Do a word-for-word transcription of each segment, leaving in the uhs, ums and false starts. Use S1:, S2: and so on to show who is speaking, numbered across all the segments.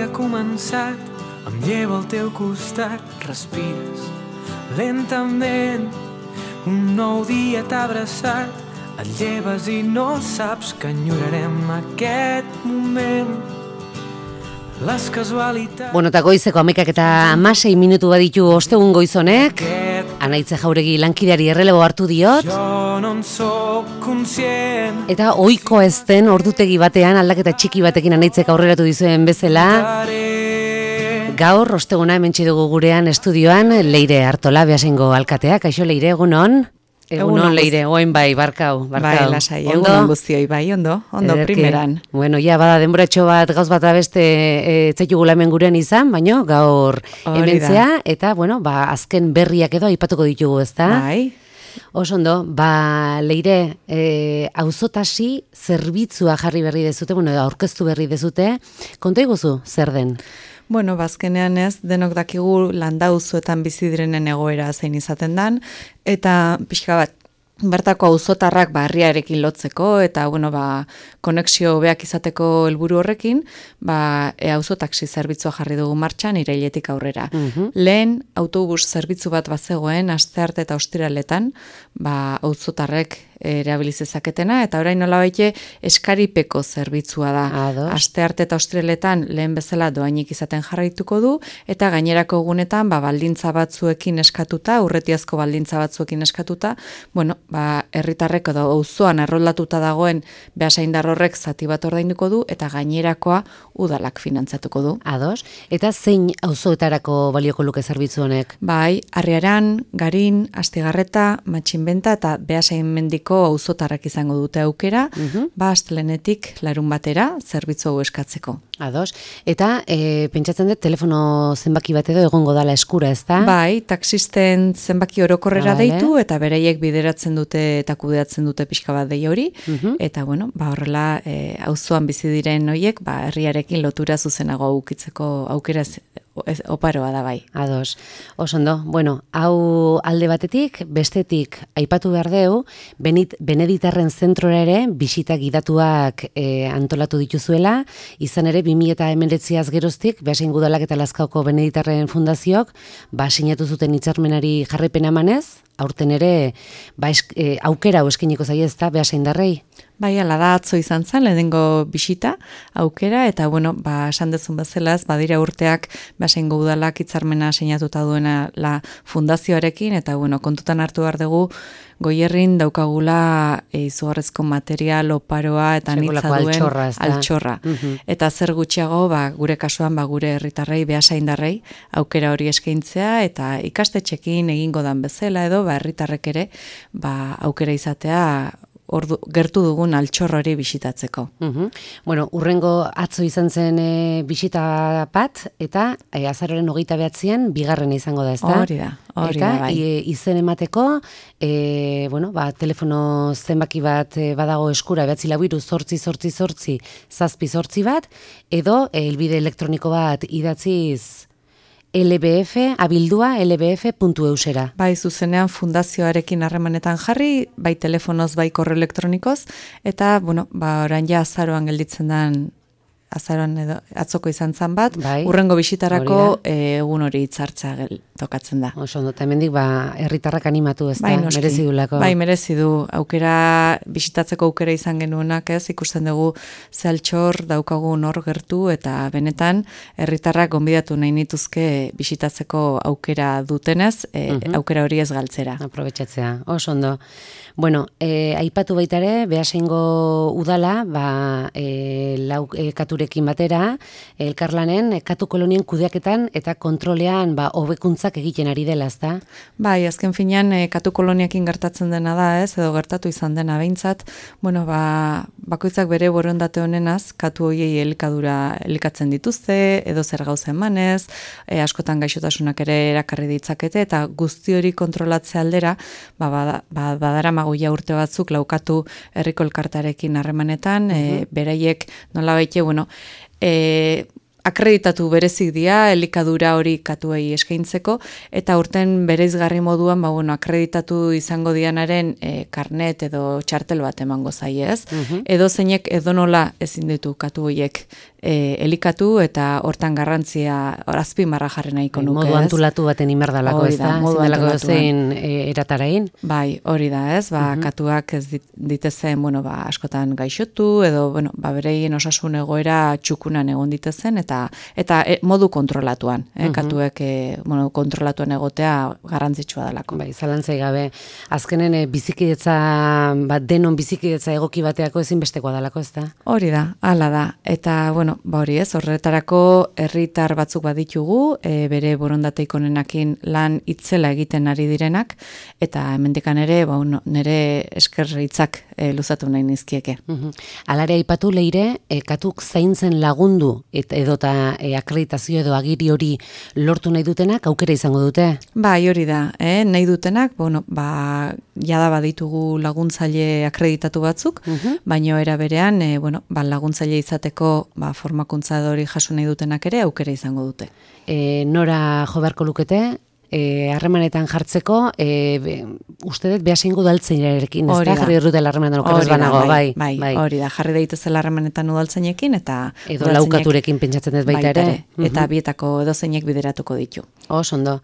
S1: dia ha començat, em llevo al teu costat, respires lentament. Un nou dia t'ha abraçat, et lleves i no saps que enyorarem aquest moment. Les casualitats...
S2: Bueno, eta goizeko amekak eta amasei minutu baditu ostegun goizonek, Anaitze Jauregi lankideari errelebo hartu diot.
S1: Jo no en soc conscient.
S2: Eta ohikoa ez den ordutegi batean aldaketa txiki batekin Anaitzek aurreratu dizuen bezala. Gaur osteguna hementsi dugu gurean estudioan Leire Artola, Beasaingo alkatea. Kaixo Leire, egunon? Egunon Leire, oin bai, barkau, barkau.
S3: Bai, lasai, egunon guztioi, bai, ondo, ondo
S2: Ederki.
S3: primeran.
S2: Bueno, ja, bada denboratxo bat, gauz bat abeste e, etzaitugula hemen gurean izan, baino, gaur hementzea, eta, bueno, ba, azken berriak edo aipatuko ditugu, ezta?
S3: Bai.
S2: Oso ondo, ba, Leire, e, auzotasi zerbitzua jarri berri dezute, bueno, aurkeztu berri dezute, konta iguzu, zer den?
S3: Bueno, bazkenean ez, denok dakigu landauzuetan bizi direnen egoera zein izaten dan, eta pixka bat, bertako auzotarrak barriarekin lotzeko, eta, bueno, ba, konexio hobeak izateko helburu horrekin, ba, e, auzotaxi zerbitzua jarri dugu martxan irailetik aurrera.
S2: Mhm.
S3: Lehen, autobus zerbitzu bat bazegoen, astearte eta ostiraletan, ba, auzotarrek erabiliz ezaketena, eta orain nolabaite eskaripeko zerbitzua da.
S2: Ados.
S3: Astearte eta ostiraletan lehen bezala doainik izaten jarraituko du, eta gainerako egunetan ba, baldintza batzuekin eskatuta, urretiazko baldintza batzuekin eskatuta, bueno, ba, herritarrek edo auzoan erroldatuta dagoen beasaindar horrek zati bat ordainduko du, eta gainerakoa udalak finantzatuko du.
S2: Ados, eta zein auzoetarako balioko luke zerbitzu honek?
S3: Bai, Arriaran, Garin, Astigarreta, Matxinbenta eta Beasainmendiko auzotarrak izango dute aukera,
S2: Mhm.
S3: ba astelenetik larun batera zerbitzu hau eskatzeko.
S2: Ados, eta e, pentsatzen dut telefono zenbaki bat edo egongo dala eskura, ezta?
S3: Bai, taxisten zenbaki orokorrera
S2: Vale.
S3: deitu, eta bereiek bideratzen dute eta kudeatzen dute pixka bat dei hori,
S2: Mhm.
S3: eta bueno, ba horrela e, auzoan bizi diren hoiek, ba herriarekin lotura zuzenago ukitzeko aukera z- ez- oparoa da bai.
S2: Ados, oso ondo. Bueno, hau alde batetik, bestetik aipatu behar deu, Benit, Beneditarren zentrora ere bisita gidatuak e, antolatu dituzuela, izan ere bi mila hemeretziaz geroztik, Beasain Udalak eta Lazkaoko Beneditarren Fundaziok, ba sinatu zuten hitzarmenari jarraipena emanez, aurten ere ba, esk, e, aukera hau eskainiko zaie ezta Beasaindarrei.
S3: Bai, ala da atzo izan zen, lehenengo bisita, aukera, eta bueno, ba, esan dezun bezala ez, badira urteak Beasaingo Udalak hitzarmena sinatuta duena la fundazioarekin, eta bueno, kontutan hartu behar dugu, Goierrin daukagula e, izugarrezko material, oparoa, eta nitza
S2: Sekulako
S3: duen
S2: altxorra, ezta?
S3: altxorra.
S2: Mhm.
S3: Eta zer gutxiago, ba, gure kasuan, ba, gure herritarrei, beasaindarrei, aukera hori eskaintzea, eta ikastetxekin egingo dan bezala edo, ba, herritarrek ere, ba, aukera izatea, ordu, gertu dugun altxor hori bisitatzeko.
S2: Mhm. Bueno, urrengo atzo izan zen e, bisita bat, eta e, azaroren hogeita behatzean bigarren izango da, ezta?
S3: Hori da, hori
S2: eta,
S3: da, bai.
S2: i- izen emateko, e, bueno, ba, telefono zenbaki bat e, badago eskura, behatzi lau hiru zortzi zortzi zortzi zazpi zortzi bat, edo e, helbide elektroniko bat idatziz lbf, abildua lbf puntu eusera.
S3: Bai, zuzenean fundazioarekin harremanetan jarri, bai telefonoz, bai korreo elektronikoz, eta, bueno, ba, orain ja azaroan gelditzen den, azaroan edo, atzoko izan zan bat,
S2: Bai,
S3: urrengo bisitarako
S2: hori
S3: e, egun hori hitzartzea gel- tokatzen da.
S2: Oso ondo, eta hemendik ba, herritarrak animatu, ez da,
S3: Bai, noski.
S2: merezi dulako.
S3: Bai, merezi du. Aukera, bisitatzeko aukera izan genuenak ez, ikusten dugu ze altxor daukagun hor gertu, eta benetan herritarrak gonbidatu nahi nituzke bisitatzeko aukera dutenez, e,
S2: Mhm.
S3: aukera hori ez galtzera.
S2: Aprobetxatzea, oso ondo. Bueno, e, aipatu baita ere, Beasaingo udala, ba, e, lau e, katurekin batera, elkarlanen, e, katu kolonien kudeaketan eta kontrolean ba, hobekuntzak egiten ari dela, ezta?
S3: Bai, azken finean, e, katu koloniakin gertatzen dena da, ez, edo gertatu izan dena behintzat, bueno, ba, bakoitzak bere borondate honenaz, katu hoiei elikadura elikatzen dituzte, edo zer gauza emanez, e, askotan gaixotasunak ere erakarri ditzakete, eta guzti hori kontrolatze aldera, ba, bada, ba, badara magoia urte batzuk laukatu herriko elkartarekin harremanetan, e, beraiek nola baite, bueno, e, akreditatu berezik dira elikadura hori katuei eskaintzeko, eta urten bereizgarri moduan, ba, bueno, akreditatu izango dianaren e, karnet edo txartel bat emango zaie, ez?
S2: Mhm.
S3: Edo zeinek edonola ezin ditu katu horiek e, elikatu eta hortan garrantzia azpimarra jarri nahiko nuke.
S2: Modu antulatu baten imerdalako, ez da?
S3: Modu
S2: antulatu zein e, eratarain?
S3: Bai, hori da, ez? Ba, uh -huh. katuak ez dit, ditezen, bueno, ba, askotan gaixotu, edo, bueno, ba, bereien osasun egoera txukunan egon ditezen, eta eta e, modu kontrolatuan, eh? uh -huh. Katuek, e, bueno, kontrolatuan egotea garrantzitsua delako.
S2: Bai, zalantzai gabe. Azkenen e, bizikidetza, bat denon bizikidetza egoki bateako ezinbestekoa delako, ez da?
S3: Hori da, hala da. Eta, bueno, ba hori ez, horretarako herritar batzuk baditugu, e, bere borondateik onenakin lan itzela egiten ari direnak, eta hemendikan ere, ba, no, nire eskerritzak e, luzatu nahi nizkieke.
S2: Uh-huh. Alare aipatu leire, e, katuk zaintzen lagundu, et, edota e, akreditazio edo agiri hori lortu nahi dutenak, aukera izango dute?
S3: Bai, hori da, eh? Nahi dutenak, bueno, ba, jada baditugu laguntzaile akreditatu batzuk, uh-huh. baino era berean, e, bueno, ba, laguntzaile izateko ba, formakuntza hori jaso nahi dutenak ere aukera izango dute.
S2: E, nora jo beharko lukete, harremanetan e, jartzeko, e, be, uste dut behasein udaltzainerekin, ez da? Jarri dutela harremanetan okerrez banago, bai,
S3: bai, bai. Hori da, jarri daitezela harremanetan udaltzainekin, eta...
S2: Edo laukaturekin pentsatzen ez baita ere.
S3: Eta bietako edozeinek bideratuko ditu.
S2: Os, ondo.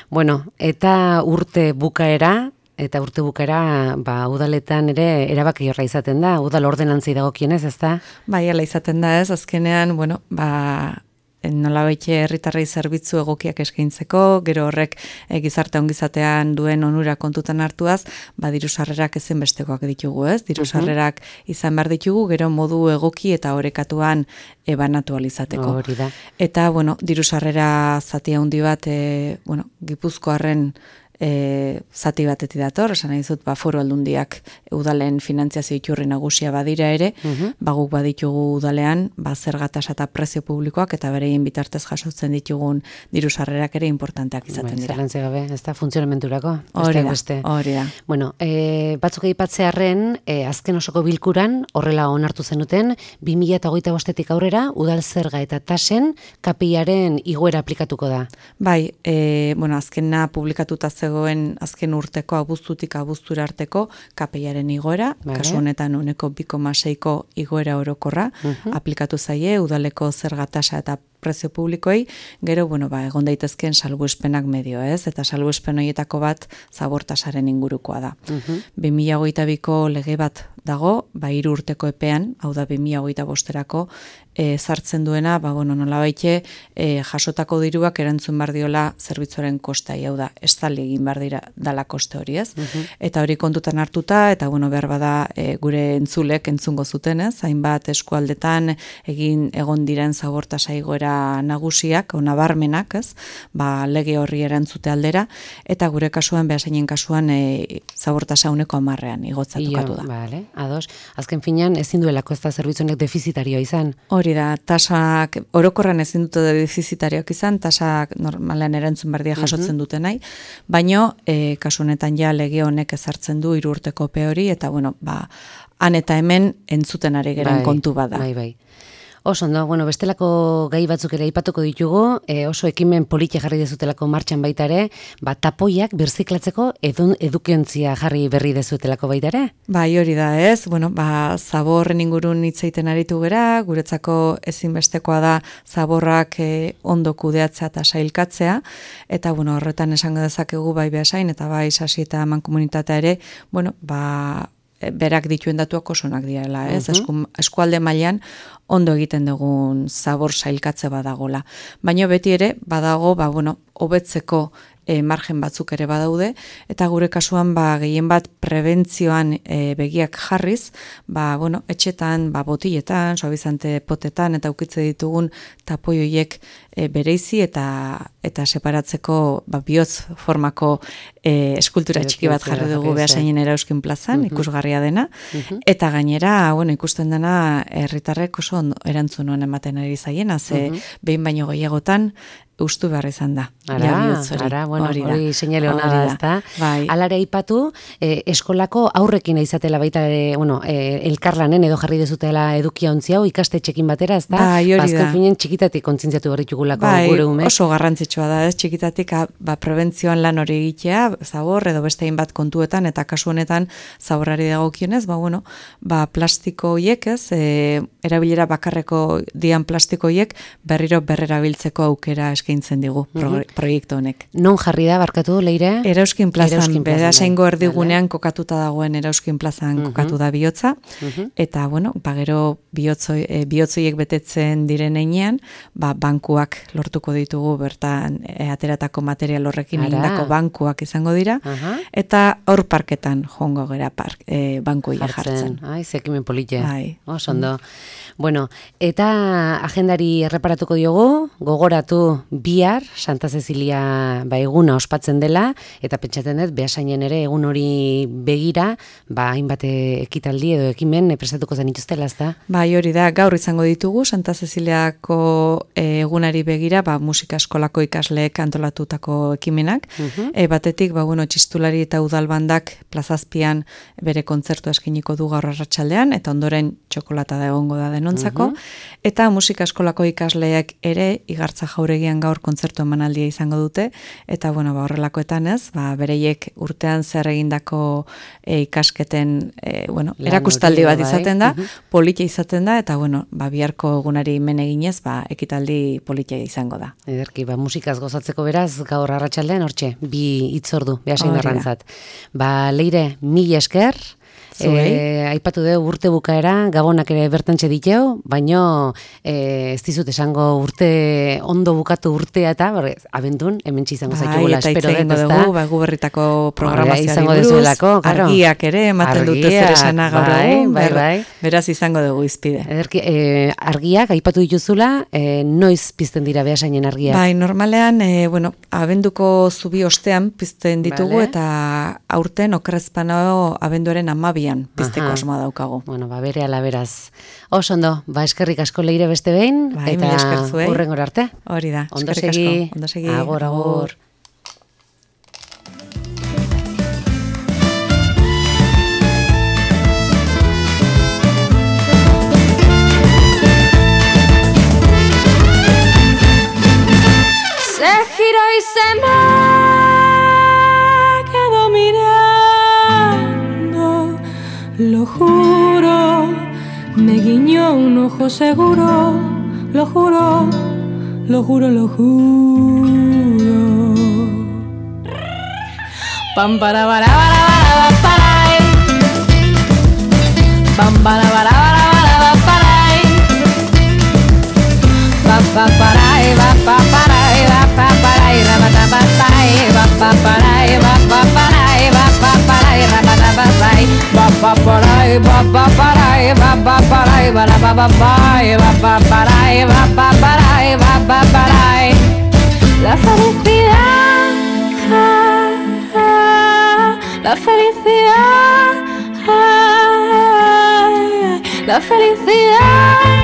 S2: Bueno, eta urte bukaera, eta urte bukaera, ba, udaletan ere erabaki horra izaten da, udal ordenantzei dagokienez, ez da?
S3: Bai, ala izaten da ez, azkenean, bueno, ba... nolabaite herritarrei zerbitzu egokiak eskaintzeko, gero horrek e, gizarte ongizatean duen onura kontutan hartuaz, ba diru sarrerak ezinbestekoak ditugu, ez? Diru sarrerak izan behar ditugu, gero modu egoki eta orekatuan e, banatu alizateko.
S2: Hori da.
S3: Eta, bueno, diru sarrera zati handi bat, e, bueno, Gipuzkoarren E, zati batetik dator, esan nahi dut, ba, foru aldundiak udalen finantziazio iturri nagusia badira ere, uh-huh. baguk baditugu udalean, ba, zergatasa eta prezio publikoak, eta bereien bitartez jasotzen ditugun diru sarrerak ere importanteak izaten dira.
S2: Zerrantze gabe, ez da, funtzionamenturako.
S3: Hori da, hori da.
S2: Bueno, e, batzuk aipatzearren, e, azken osoko bilkuran, horrela onartu zenuten, bi mila hogeita bostetik aurrera, udal zerga eta tasen kapeiaren igoera aplikatuko da.
S3: Bai, e, bueno, azkena publikatuta zegoen azken urteko abuztutik abuztura arteko kapeiaren igoera, vale. Kasu honetan uneko bi koma seiko igoera orokorra, uh-huh. aplikatu zaie udaleko zerga tasa eta prezio publikoei, gero, bueno, ba, egon daitezkeen salbuespenak medio, ez? Eta salbuespen horietako bat zabortasaren ingurukoa da. Uh-huh. bi mila hogeita biko lege bat dago, ba, hiru urteko epean, hau da bi mila hogeita bosterako, e, sartzen duena, ba, bueno, nolabaite, e, jasotako diruak erantzun bar diola zerbitzuaren kostai, hau da, estali egin bar dira dala koste hori, ez? Uh-huh. Eta hori kontutan hartuta, eta, bueno, behar bada e, gure entzulek entzungo zuten, ez? Hainbat eskualdetan egin egon diren zabortasa igoera nagusiak, o nabarmenak, ez? Ba, lege horri erantzute aldera, eta gure kasuan, behaseinen kasuan, e, zabortasa uneko amarrean igotzatuko da.
S2: Vale, ados. Azken finean, ezin duelako ez da zerbitzuenek defizitarioa izan.
S3: Hori da, tasak, orokorran ezin dute defizitarioak izan, tasak normalean erantzun berdia jasotzen dute nahi, baino, e, kasu honetan ja lege honek ezartzen du hiru urteko epe hori, eta bueno, ba, han eta hemen entzuten ari geren
S2: bai,
S3: kontu bada.
S2: Bai, bai. Oso, no? Bueno, bestelako gai batzuk ere aipatuko ditugu, e, oso ekimen politia jarri dezutelako martxan baita ere, ba, tapoiak birziklatzeko edun, edukiontzia jarri berri dezutelako baita ere?
S3: Bai, hori da ez, bueno, ba, zaborren ingurun hitz egiten aritu gera, guretzako ezinbestekoa da zaborrak e, ondo kudeatzea eta sailkatzea, eta, bueno, horretan esango dezakegu bai behasain, eta bai sasi eta mankomunitatea ere, bueno, ba, berak dituen datuak osonak direla, ez? Uh-huh. Eskualde mailan ondo egiten dugun zabor sailkatze badagola. Baina beti ere, badago, ba, bueno, hobetzeko e, margen batzuk ere badaude, eta gure kasuan, ba, gehien bat prebentzioan e, begiak jarriz, ba, bueno, etxetan, ba, botiletan, suabizante potetan, eta ukitze ditugun tapoioiek e, bereizi eta eta separatzeko ba, bihotz formako e, eskultura txiki bat jarri dugu behasainen Erauzkin plazan, uh-huh. ikusgarria dena, uh-huh. eta gainera, bueno, ikusten dena herritarrek oso erantzun honen ematen ari zaiena, ze uh-huh. behin baino gehiagotan eustu behar izan da.
S2: Ara, ara, bueno, hori, hori seinale hona da, ezta?
S3: Bai.
S2: Alare aipatu, eh, eskolako aurrekin izatela baita, eh, bueno, eh, elkarlanen edo jarri dezutela edukia ontzi hau ikastetxekin batera, ezta?
S3: Bai, hori da.
S2: Azken finen txikitatik kontzientziatu berritugulako
S3: bai,
S2: gure ume.
S3: Oso garrantzitsua da, ez? Txikitatik ba, prebentzioan lan hori egitea, zabor edo beste hainbat kontuetan, eta kasu honetan zaborrari dagokionez, ba, bueno, ba, plastiko hiek, ez? E, erabilera bakarreko dian plastiko hiek berriro berrerabiltzeko aukera eskaintzen digu pro, uh-huh. proiektu honek.
S2: Non jarri da, barkatu, Leire?
S3: Erauskin plazan, Beasaingo erdigunean kokatuta dagoen Erauskin plazan uh-huh. kokatu da bihotza, uh-huh. eta, bueno, ba, gero bihotzoi, e, bihotzoiek betetzen diren einean, ba, bankuak lortuko ditugu bertan e, ateratako material horrekin egindako bankuak izango dira, uh-huh. eta hor parketan jongo gera park, e, bankuia jartzen.
S2: Ai, zekimen polite.
S3: Ai.
S2: Oso ondo. Bueno, eta agendari erreparatuko diogu, gogoratu bihar Santa Cecilia ba, eguna ospatzen dela, eta pentsatzen dut, Beasainen ere egun hori begira, ba, hainbat ekitaldi edo ekimen prestatuko zen ituztela, ezta?
S3: Bai, hori da, gaur izango ditugu, Santa Ceciliako egunari begira, ba, musika eskolako ikasleek antolatutako ekimenak, uh-huh. e, batetik, ba, bueno, txistulari eta udalbandak plazazpian bere kontzertu eskiniko du gaur arratsaldean, eta ondoren txokolata da egongo da denontzako, uh-huh. eta musika eskolako ikasleek ere igartza jauregian gaur kontzertu emanaldia izango dute, eta bueno, ba, horrelakoetan ez, ba, bereiek urtean zer egindako e, ikasketen e, bueno, erakustaldi bat izaten da, uh-huh. politia izaten da, eta bueno, ba, biharko egunari men eginez, ba, ekitaldi politia izango da.
S2: Ederki, ba, musikaz gozatzeko beraz, gaur arratsaldean hortxe, bi hitzordu, Beasain garrantzat. Ba, Leire, mila esker, E, aipatu dugu urte bukaera, gabonak ere bertantxe diteu, baino e, ez dizut esango urte ondo bukatu urtea eta barrez, abendun, hemen txizango zaitugula, espero dut, ez da?
S3: Bai, gu berritako programazioari
S2: buruz,
S3: dezuelako, argiak ere, ematen dute zer esana gaur egun, bai, bai, beraz izango dugu izpide.
S2: Ederki, e, argiak, aipatu dituzula, e, noiz pizten dira Beasainen argiak?
S3: Bai, normalean, e, bueno, abenduko zubi ostean pizten ditugu, vale. Eta aurten okrezpano abenduaren amabi pizteko asmoa daukagu.
S2: Bueno, ba, bere ala beraz. Oso ondo, ba, eskerrik asko Leire beste behin,
S3: ba,
S2: eta hurrengora arte.
S3: Hori da,
S2: ondo
S3: eskerrik
S2: segi.
S3: asko. Ondo segi.
S2: Agur, agur.
S4: Se giró y se me quedó mirando. Lo juro, me guiñó un ojo seguro, lo juro, lo juro, lo juro. Pam para para para para para. Pam para para para para para. Pa pa para va pa para va pa para va pa para va pa para va pa para va pa para va pa para va pa para va pa para va pa para va pa pa va pa para va pa para va pa para. La felicidad, la felicidad, la felicidad.